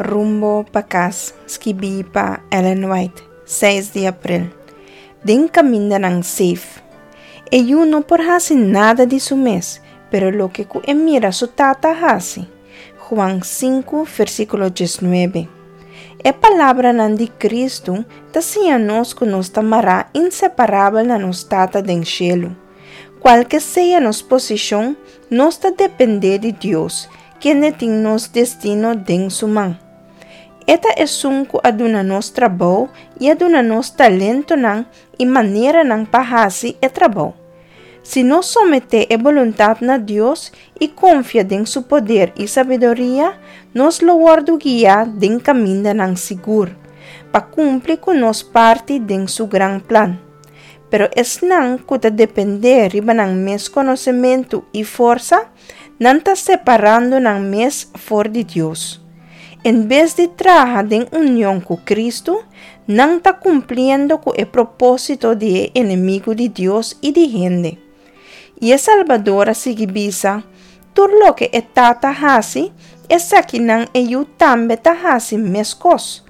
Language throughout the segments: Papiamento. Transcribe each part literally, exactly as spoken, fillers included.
Rumbo pa Kas, skibí pa Ellen White, seis di aprel. Den kamindanan safe. E Yu no por hasi nada di su mes, pero loke ku e mira su Tata hasi. Juan sinku, versíkulo diesnuebe. E palabranan di Kristu ta siña nos ku nos ta mará inseparabel na nos Tata den shelu. Kualke sea nos posishon, nos ta dependé di Dios, kende tin nos destino den su man. E ta esun ku a duna nos trabou i a duna nos talentonan i maneranan pa hasi e trabou. Si nos someté e boluntat na Dios i konfia den su poder i sabiduria, nos lo wòrdu guiá den kamindanan sigur, pa kumpli ku nos parti den su gran plan. Pero esnan ku ta dependé riba nan mes konosementu i forsa, nan ta separando nan mes for di Dios. En bes di traha den union ku Kristu, nan ta kumpliendo ku e propósito di e enemigu di Dios i di hende. I e Salbador a sigui bisa, Tur loke e Tata hasi, esakinan e Yu tambe ta hasi meskos.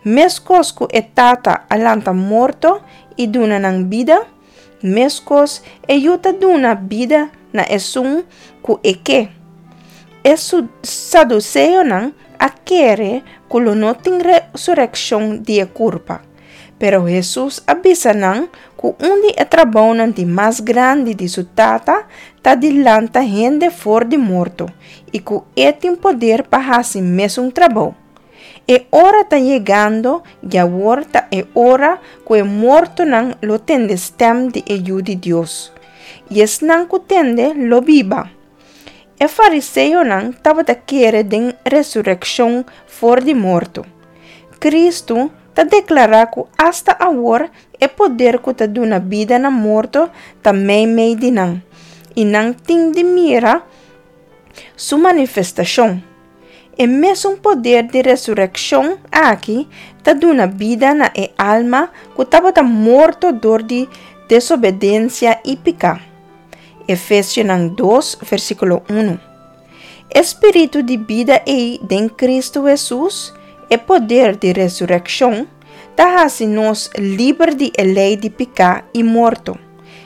Meskos ku e Tata a lanta morto i duna nan bida, meskos e Yu ta duna bida na esun ku e ke. E saduseonan a kere ku lo no tin resurekshon di e kurpa. Pero Hesus a bisa nan ku un di e trabounan di mas grandi di su Tata ta di lanta hende for di morto i ku e tin poder pa hasi mesun trabou. E ora ta yegando i awor ta e ora ku e mortonan lo tende stèm di e Yu di Dios, i esnan ku tende lo biba. E fariseonan tabata kere den resurekshon for di morto. Kristu ta deklará ku asta awor e poder ku ta duna bida na morto ta meimei di nan, i nan tin di mira su manifestashon. E mesun poder di resurekshon aki ta duna bida na e alma ku tabata morto dor di desobedensia i piká. Efesionan dos, versíkulo un. E spiritu di bida ei den Kristu Hesus, e poder di resurekshon, ta hasi nos liber di e lei di piká i morto.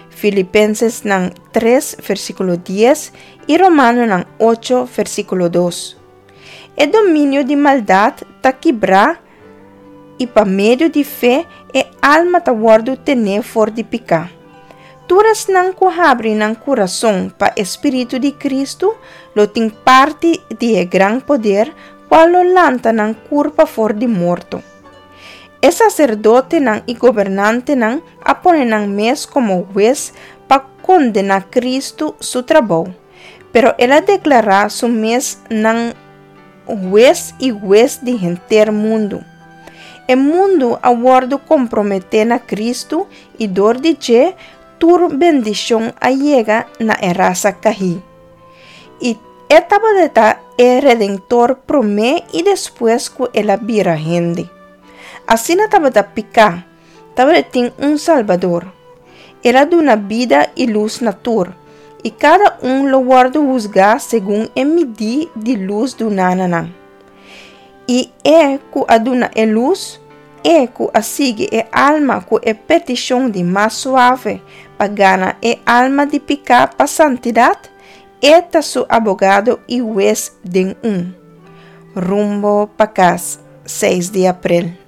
Filipensesnan tres, versíkulo dies i Romanonan ocho, versíkulo dos. E dominio di maldat ta kibrá i pa medio di fe e alma ta wòrdu tené for di piká. Tur esnan ku habri nan kurason pa e Spiritu di Kristu lo tin parti di e gran poder kual lo lanta nan kurpa for di morto. E saserdotenan i gobernantenan a pone nan mes komo hues pa kondená Kristu su trabou, pero el a deklará su mes nan Hues i Hues di henter mundu. E mundu a wòrdu komprometé na Kristu i dor di dje tur bendishon a yega na e rasa kahí. I e tabata e Redentor promé i despues ku el a bira hende. Asina tabata piká, tabatin un Salbador. El a duna bida i lus na tur, i kada un lo wòrdu husgá segun e midí di lus duná na nan. I e ku a duna e lus, e ku a sigui e alma ku e petishon di mas suave pa gana e alma di piká pa santidat, e ta su abogado i hues den un. Rumbo pa kas, seis di aprel.